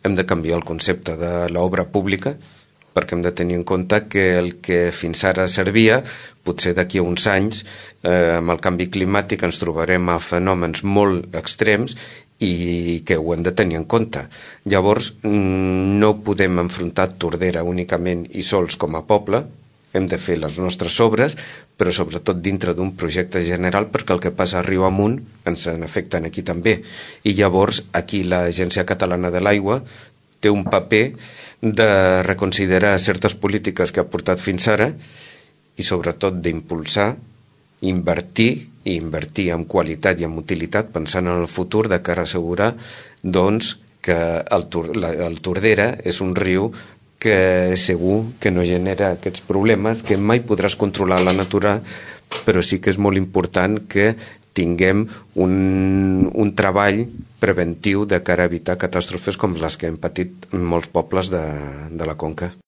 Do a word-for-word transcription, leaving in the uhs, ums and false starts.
hem de canviar el concepte de l'obra pública, perquè hem de tenir en compte que el que fins ara servia, potser d'aquí a uns anys, eh, amb el canvi climàtic ens trobarem a fenòmens molt extrems i que ho hem de tenir en compte. Llavors, no podem enfrontar Tordera únicament i sols com a poble, hem de fer les nostres obres, però sobretot dintre d'un projecte general, perquè el que passa a riu amunt ens en afecten aquí també. I llavors aquí l'Agència Catalana de l'Aigua té un paper de reconsiderar certes polítiques que ha portat fins ara i sobretot d'impulsar, invertir i invertir en qualitat i en utilitat pensant en el futur de cara a assegurar doncs, que el, la, el Tordera és un riu que segur que no genera aquests problemes, que mai podràs controlar la natura, però sí que és molt important que tinguem un, un treball preventiu de cara a evitar catàstrofes com les que hem patit molts pobles de, de la Conca.